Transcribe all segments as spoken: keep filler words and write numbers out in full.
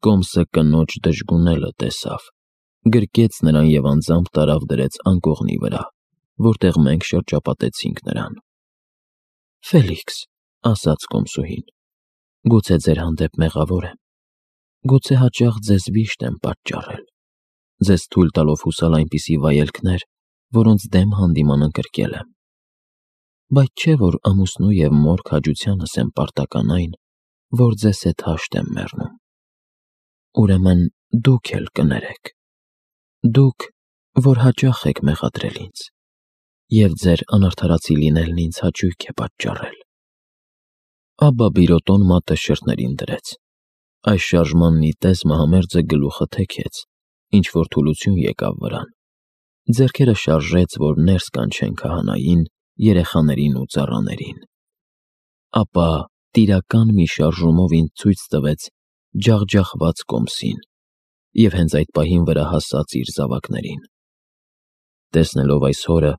Կոմսը կնոջ դժգունելը տեսավ, գրկեց նրան և անձամբ տարավ դրեց անկողնի վրա, որտեղ մենք շրջապատեցինք նրան։ «Ֆելիքս», ասաց կոմսուհին, «գուցե ձեր հանդեպ մեղավոր եմ, գուցե հաճախ ձեզ վիշտ եմ պատճառել, ձեզ թույլ տալով հուսալ այնպիսի վայելքներ, որոնց դեմ հանդիման ընկրկել եմ, բայց չէ՞ որ ամուսնու և մոր քաջությանս եմ պարտական այն, որ ձեզ հետ հաշտ եմ մեռնում։ Ուրեմն դուք էլ կներեք, դուք, որ հաճախ եք մեղադրել ինձ, և ձեր անարդարացի լինելն ինձ հաճույք է պատճառել»։ Աբբա Բիրոտոն մատը շրթներին դրեց։ Այս շարժման նիտես մահամերձը գլուխը թեքեց, ինչ-որ թուլություն եկավ վրան, ձեռքերը շարժեց, որ ներս կանչեն քահանային, երեխաներին ու ծառաներին։ Ապա տիրական մի շարժումով ինձ ցույց տվեց ջախջախված կոմսին և հենց այդ պահին վրա հասած իր զավակներին։ Տեսնելով այս հորը,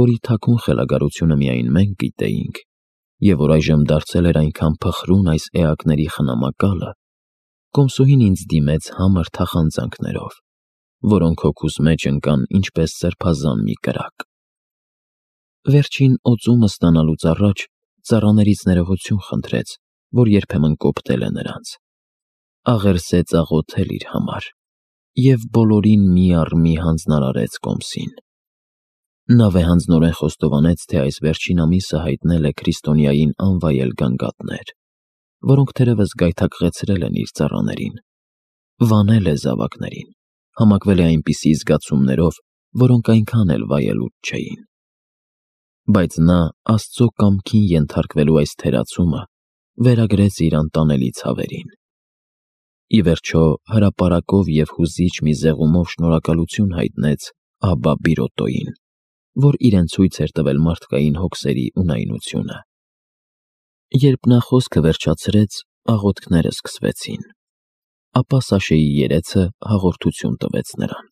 որի թաքուն խելագարությունը միայն մենք գիտեինք, և որ այժմ դարձել էր այնքան փխրուն այս էակների խնամակալը, կոմսուհին ինձ դիմեց համր թախանձանքներով, որոնք հոգուս մեջ ընկան ինչպես սրբազան մի կրակ։ Վերջին օծումը ստանալուց առաջ ծառաներից ներողություն խնդրեց, որ երբեմն կոպտել է նրանց, աղերսեց աղոթել իր համար և բոլորին մի առ մի հանձնարարեց կոմսին։ Նա վեհանձնորեն խոստովանեց, թե այս վերջին ամիսը հայտնել է քրիստոնյային անվայել գանգատներ, որոնք թերևս գայթակղեցրել են իր ծառաներին, վանել է զավակներին, համակվել է այնպիսի զգացումներով, որոնք այնքան էլ վայելուչ չէին։ Բայց նա Աստծո կամքին ենթարկվելու այս թերացումը վերագրեց իր անտանելի ցավերին։ Ի վերջո հրապարակով և հուզիչ մի զեղումով շնորհակալություն հայտնեց աբբա Բիրոտոյին, որ իրեն ցույց էր տվել մարդկային հոգսերի ունայնությունը։ Երբ նա խոսքը վերջացրեց, աղոթքները սկսվեցին, ապա Սաշեի երեցը հաղորդություն տվեց նրան։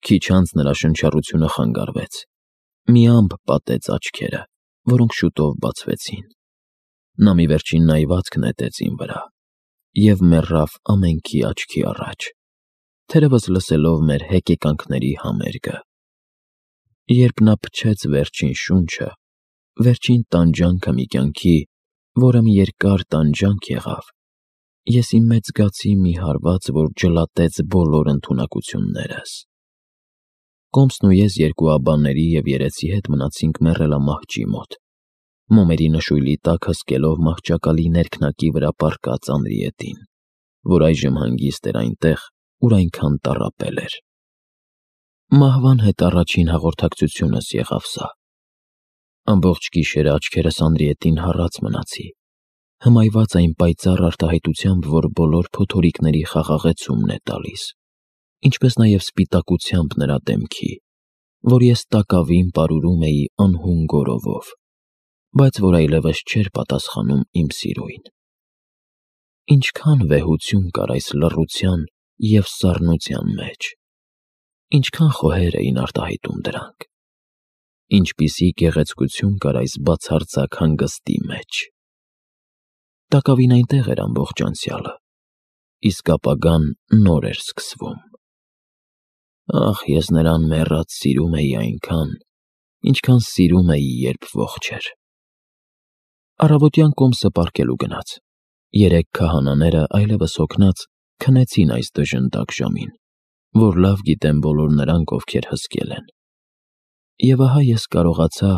Քիչ անց նրա շնչառությունը խանգարվեց, մի ամպ պատեց աչքերը, որոնք շուտով բացվեցին։ Նա մի վերջին նայվածք նետեց իմ վրա և մեռավ ամենքի աչքի առաջ, թերևս լսելով մեր հեկեկանքների համերգը։ Երբ նա փչեց վերջին շունչը, վերջին տանջանքը մի կյանքի, որը մի երկար տանջանք եղավ, ես իմ մեջ զգացի մի հարված, որ ջլատեց բոլոր ընդունակություններս։ Կոմսն ու ես երկու աբբաների և երեցի հետ մնացինք մեռելամահճի մոտ, մոմերի նշույլի տակ հսկելով մահճակալի ներքնակի վրա պառկած Անրիետին, որ այժմ հանգիստ էր այնտեղ, ուր այնքան տառապել էր։ Մահվան հետ առաջին հաղորդակցությունս եղավ սա։ Ամբողջ գիշերը աչքերս Անրիետին հառած մնացի, հմայված այն պայծառ արտահայտությամբ, որ բոլոր փոթորիկների խաղաղեցումն է տալիս, ինչպես նաև սպիտակությամբ նրա դեմքի, որ ես տակավին պարուրում էի անհուն գորովով, բայց որ այլևս չէր պատասխանում իմ սիրուին։ Ինչքան վեհություն կար այս լռության և սառնության մեջ, ինչքան խոհեր էին արտահայտում դրանք, ինչպիսի գեղեցկություն կար այս բացարձակ հանգստի մեջ։ Տակավին այնտեղ էր ամբողջ անցյալը, իսկ ապագան նոր էր սկսվում։ Ախ, ես նրան մեռած սիրում էի այնքան, ինչքան սիրում էի, երբ ողջ էր։ Առավոտյան կոմսը պառկելու գնաց։ Երեք քահանաները այլևս հոգնած քնեցին այս դժնդակ ժամին, որ լավ գիտեն բոլոր նրանք, ովքեր հսկել են։ Եվ ահա ես կարողացա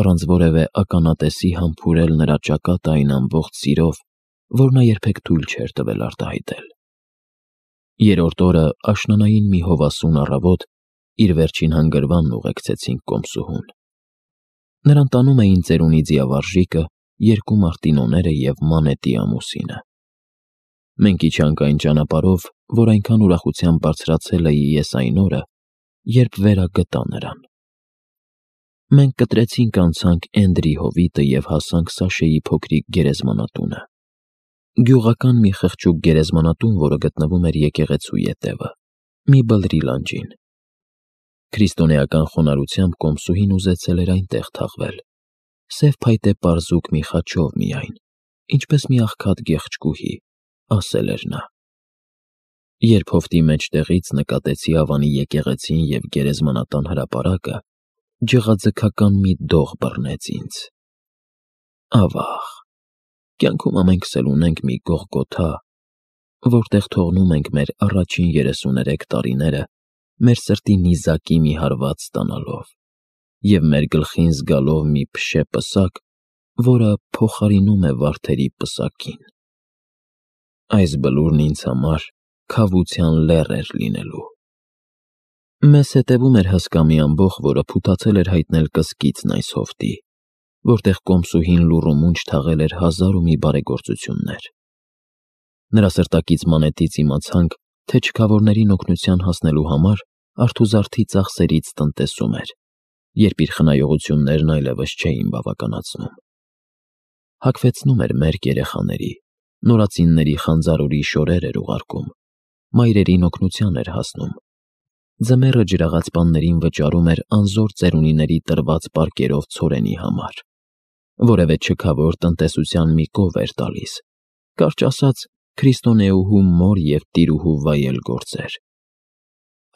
առանց որևէ ականատեսի համբուրել նրա ճակատը այն ամբողջ սիրով, որ նա երբեք թույլ չէր տվել արտահայտել։ Երրորդ օրը աշնանային մի հովասուն առավոտ իր վերջին հանգրվանն ուղեկցեցինք կոմսուհուն։ Նրան տանում էին ծերունի ձիավարժիկը, երկու մարտինոները և Մանետի ամուսինը։ Մենք իջանք այն ճանապարհով, որ այնքան ուրախությամբ բարձրացել էի ես այն օրը, երբ վերագտա նրան։ Մենք կտրեցինք անցանք Էնդրի հովիտը և հասանք Սաշեի փոքրիկ գերեզմանատունը։ Գյուղական մի խղճուկ գերեզմանատուն, որը գտնվում էր եկեղեցու ետևը, մի բլրի լանջին։ Քրիստոնեական խոնարհությամբ կոմսուհին ուզեցել էր այնտեղ թաղվել, սև փայտե պարզուկ մի խաչով միայն, ինչպես մի աղքատ գեղեցկուհի, ասել էր նա։ Երբ հովտի մեջտեղից նկատեցի Ավանի եկեղեցին և գերեզմանատան հրապարակը, ջղաձգական մի դող բռնեց ինձ։ Ավաղ, կյանքում ամենքս էլ ունենք մի Գողգոթա, որտեղ թողնում ենք մեր առաջին երեսուներեք տարիները մեր սրտի նիզակի մի հարված ստանալով և մեր գլխին զգալով մի փշե պսակ, որը փոխարինում է վարդերի պսակին։ Այս բլուրն ինձ համար քավության լեռ էր լինելու։ Մեզ հետևում էր հսկա մի ամբոխ, որը փութացել էր հայտնել կսկիծն այս հովտի, որտեղ կոմսուհին լուռ ու մունջ թաղել էր հազար ու մի բարեգործություններ։ Նրա սրտակից մանետից իմացանք, թե չքավորներին օգնության հասնելու համար արթուզարդի ծախսերից տնտեսում էր, երբ իր խնայողություններն այլևս չէին բավականացնում։ Հագվեցնում էր մերկ երեխաների, նորածինների խանձարուրի շորեր էր ուղարկում, մայրերին օգնության էր հասնում, ձմեռը ջրաղացպաններին վճարում էր անզոր ծերունիների տրված պարկերով ցորենի համար, որևէ չքավոր տնտեսության մի կով էր տալիս, կարճ ասած, քրիստոնեուհու մոր և տիրուհու վայել գործեր։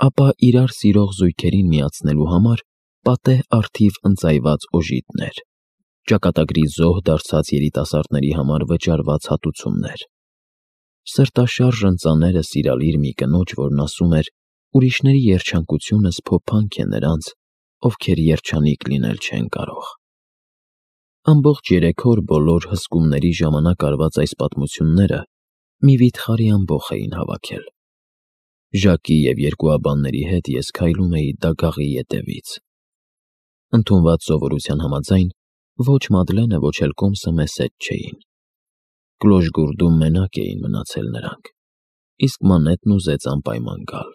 Ապա իրար սիրող զույգերին միացնելու համար պատեհ արդիվ ընծայված օժիտներ, ճակատագրի զոհ դարձած երիտասարդների համար վճարված հատուցումներ, սրտաշարժ ընծաները սիրալիր մի կնոջ, որն ասում էր. ուրիշների երջանկությունը սփոփանք է նրանց, ովքեր երջանիկ լինել չեն կարող։ Ամբողջ երեք օր բոլոր հսկումների ժամանակ արված այս պատմությունները մի վիթխարի ամբոխ էին հավաքել։ Ժակի և երկու աբանների հետ ես քայլում էի դագաղի ետևից։ Ընդունված սովորության համաձայն, ոչ Մադլենը, ոչ էլ Կոմսը մեզ հետ չէին։ Կլոշգուրդում մենակ էին մնացել նրանք, իսկ Մանետն ուզեց անպայման գալ։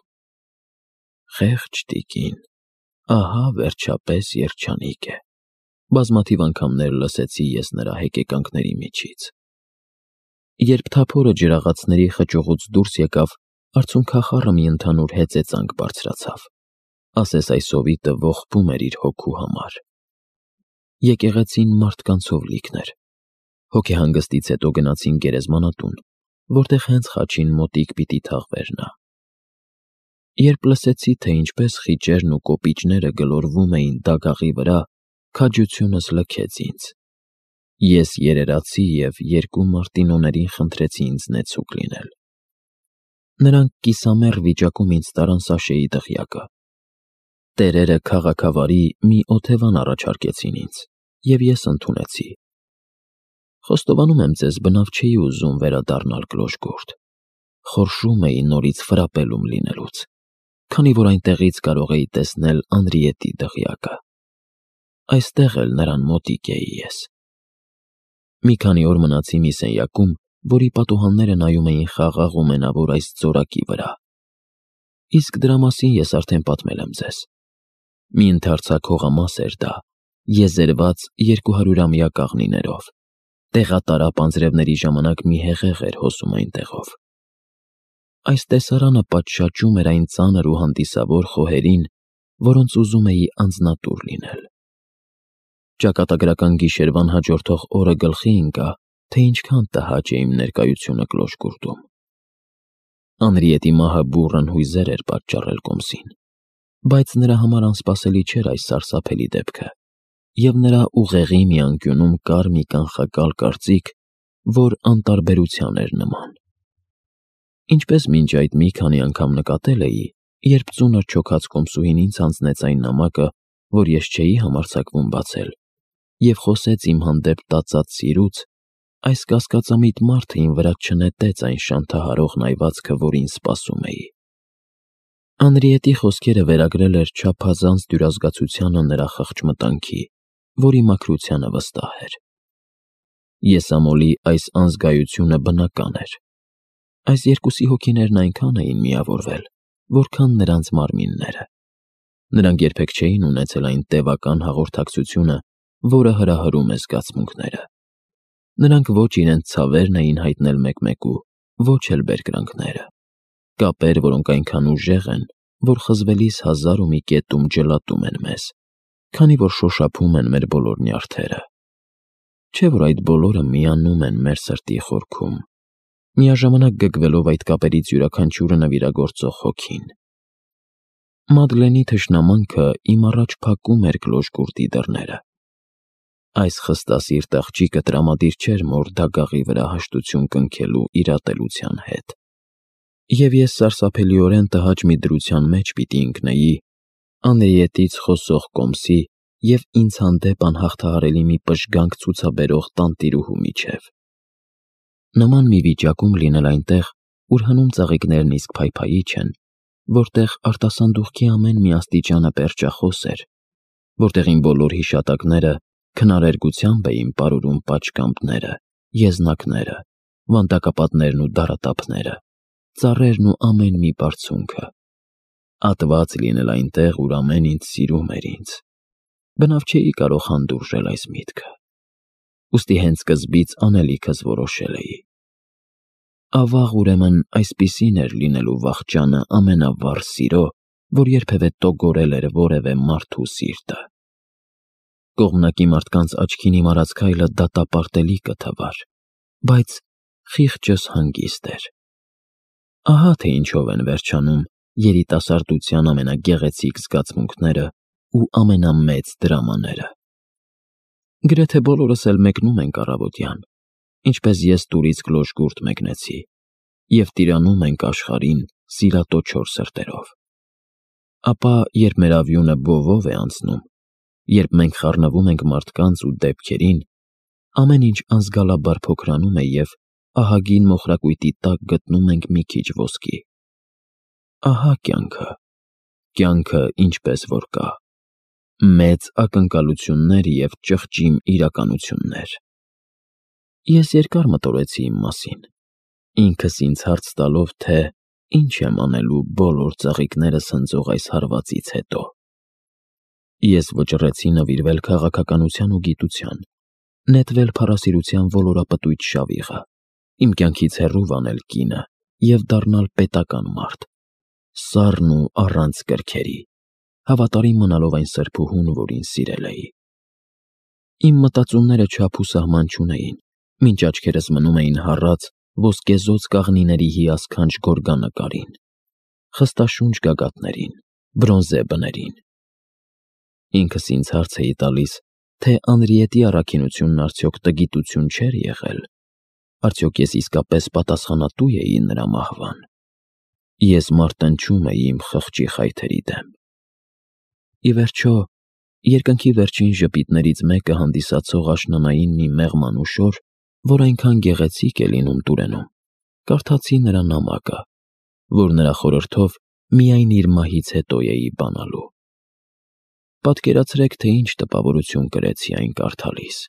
Խեղճ տիկին, ահա վերջապես երջանիկ է, բազմաթիվ անգամներ լսեցի ես նրա հեկեկանքների միջից։ Երբ թափորը ջրաղացների խճողուց դուրս եկավ, արցունքախառը մի ընդհանուր հեծեծանք բարձրացավ, ասես այս հովիտը ողբում էր իր հոգու համար։ Եկեղեցին մարդկանցով լիքն էր։ Հոգեհանգստից հետո գնացինք գերեզմանատուն, որտեղ հենց խաչին մոտիկ պիտի թաղվեր նա։ Երբ լսեցի, թե ինչպես խիճերն ու կոպիճները գլորվում էին դագաղի վրա, քաջությունս լքեց ինձ։ Ես երերացի և երկու մարտինոներին խնդրեցի ինձ նեցուկ լինել։ Նրանք կիսամեռ վիճակում ինձ տարան Սաշեի դղյակը։ Տերերը քաղաքավարի մի օթևան առաջարկեցին ինձ, և ես ընդունեցի։ Խոստովանում եմ ձեզ, բնավ չէի ուզում վերադառնալ Կլոշգուրդ։ Խորշում էի նորից ֆրապելում լինելուց, քանի որ այնտեղից կարող էի տեսնել Անրիետի դղյակը։ Այստեղ էլ նրան մոտիկ էի ես։ Մի քանի օր մնացի մի սենյակում, որի պատուհանները նայում էին խաղաղ ու մենավոր այս ձորակի վրա։ Իսկ դրա մասին ես արդեն պատմել եմ ձեզ։ Մի ընդարձակ հողամաս էր դա, եզերված երկուհարյուրամյա կաղնիներով, տեղատարապ անձրևների ժամանակ մի հեղեղ էր հոսում այնտեղով։ Այս տեսարանը պատշաճում էր այն ծանր ու հանդիսավոր խոհերին, որոնց ուզում էի անձնատուր լինել։ Ճակատագրական գիշերվան հաջորդող օրը գլխի ընկա, թե ինչքան տհաճ է իմ ներկայությունը Կլոշգուրդում։ Անրիետի մահը բուռն հույզեր էր պատճառել Կոմսին, բայց նրա համար անսպասելի չէր այս սարսափելի դեպքը, և նրա ուղեղի մի անկյունում կար մի կանխակալ կարծիք, որ անտարբերության էր նման։ Ինչպես մինչ այդ մի քանի անգամ նկատել էի, երբ ծունր չոքած Կոմսուհին ինձ հանձնեց այն նամակը, որ ես չէի համարձակվում բացել, և խոսեց իմ հանդեպ տածած սիրուց, այս կասկածամիտ մարդը իմ վրա չնետեց այն շանթահարող նայվածքը, որին սպասում էի։ Անրիետի խոսքերը վերագրել էր չափազանց դյուրազգացությանը նրա խղճ մտանքի, որի մաքրությանը վստահ էր։ Եսամոլի այս անզգայությունը բնական էր։ Այս երկուսի հոգիներն այնքան էին միավորվել, որքան նրանց մարմինները։ Նրանք երբեք չէին ունեցել այն տևական հաղորդակցությունը, որը հրահրում է զգացմունքները։ Նրանք ոչ իրենց ցավերն էին հայտնել մեկ-մեկու, ոչ էլ բերկրանքները։ Կապեր, որոնք այնքան ուժեղ են, որ խզվելիս հազար ու մի կետում ջլատում են մեզ, քանի որ շոշափում են մեր բոլոր նյարդերը։ Չէ՞ որ այդ բոլորը միանում են մեր սրտի խորքում։ միաժամանակ գգվելով այդ կապերից յուրաքանչյուրը նվիրագործող հոգին։ Մադլենի թշնամանքը իմ առաջ փակում էր գլոժկուրտի դռները։ Այս խստասիրտ աղջիկը տրամադիր չէր մոր դագաղի վրա հաշտություն կնքելու իր ատելության հետ։ Եվ ես սարսափելիորեն տհաճ մի դրության մեջ պիտի ընկնեի անեետից խոսող կոմսի և ինձ հանդեպ անհաղթահարելի մի պժգանք ցուցաբերող տանտիրուհու միջև։ Նման մի վիճակում լինել այնտեղ, ուր հնում ծաղիկներն իսկ փայփայիչ են, որտեղ արտասանդուղքի ամեն մի աստիճանը պերճախոս էր, որտեղ իմ բոլոր հիշատակները քնարերգությամբ էին պարուրում պատշգամբները, եզնակները, վանդակապատներն ու դարատափները, ծառերն ու ամեն մի բարձունքը։ Ատված լինել այնտեղ, ուր ամեն ինչ սիրում էր ինձ։ Բնավ չէի կարող հանդուրժել այս միտքը։ Ուստի հենց սկզբից անելիքս որոշել էի։ Ավաղ ուրեմն այսպիսին էր լինելու վախճանը ամենավառ սիրո, որ երբևէ տոգորել էր որևէ մարդու սիրտը։ Կողմնակի մարդկանց աչքին իմ արած քայլը դատապարտելի կթվար, բայց խիղճս հանգիստ էր։ Ահա թե ինչով են վերջանում երիտասարդության ամենագեղեցիկ զգացմունքները ու ամենամեծ դրամաները։ Գրեթե բոլորս էլ մեկնում ենք առավոտյան, ինչպես ես տուրից գլոժկուրտ մեկնեցի, և տիրանում ենք աշխարհին սիրատո չոր սրտերով։ Ապա, երբ մեր ավյունը բովով է անցնում, երբ մենք խառնվում ենք մարդկանց ու դեպքերին, ամեն ինչ անզգալաբար փոքրանում է և ահագին մոխրակույտի տակ գտնում ենք մի քիչ ոսկի։ Ահա կյանքը, կյանքը ինչպես որ կա, մեծ ակնկալություններ և ճղճիմ իրականություններ։ Ես երկար մտորեցի իմ մասին, ինքս ինձ հարց տալով, թե ինչ եմ անելու բոլոր ծաղիկներս հնձող այս հարվածից հետո։ Ես վճռեցի նվիրվել քաղաքականության ու գիտության, նետվել փառասիրության ոլորապտույտ շավիղը, իմ կյանքից հեռու վանել կինը և դառնալ պետական մարդ, սառն ու առանց կրքերի, հավատարիմ մնալով այն սրբուհուն, որին սիրել էի։ Իմ մտածումները չափ ու սահման չունեին, մինչ աչքերս մնում էին հառած ոսկեզօծ կաղնիների հիասքանչ գորգանկարին, խստաշունչ գագաթներին, բրոնզե բներին։ Ինքս ինձ հարց էի տալիս, թե Անրիետի առաքինությունն արդյոք տգիտություն չէր եղել, արդյոք ես իսկապես պատասխանատու էի նրա մահվան։ Ես մարտնչում էի իմ խղճի խայթերի դեմ։ Ի վերջո, երկնքի վերջին ժպիտներից մեկը հանդիսացող աշնանային մի մեղմ անուշոր, որ այնքան գեղեցիկ է լինում Տուրենում, կարդացի նրա նամակը, որ նրա խորհրդով միայն իր մահից հետո էի բանալու։ Պատկերացրեք, թե ինչ տպավորություն կրեցի այն կարդալիս։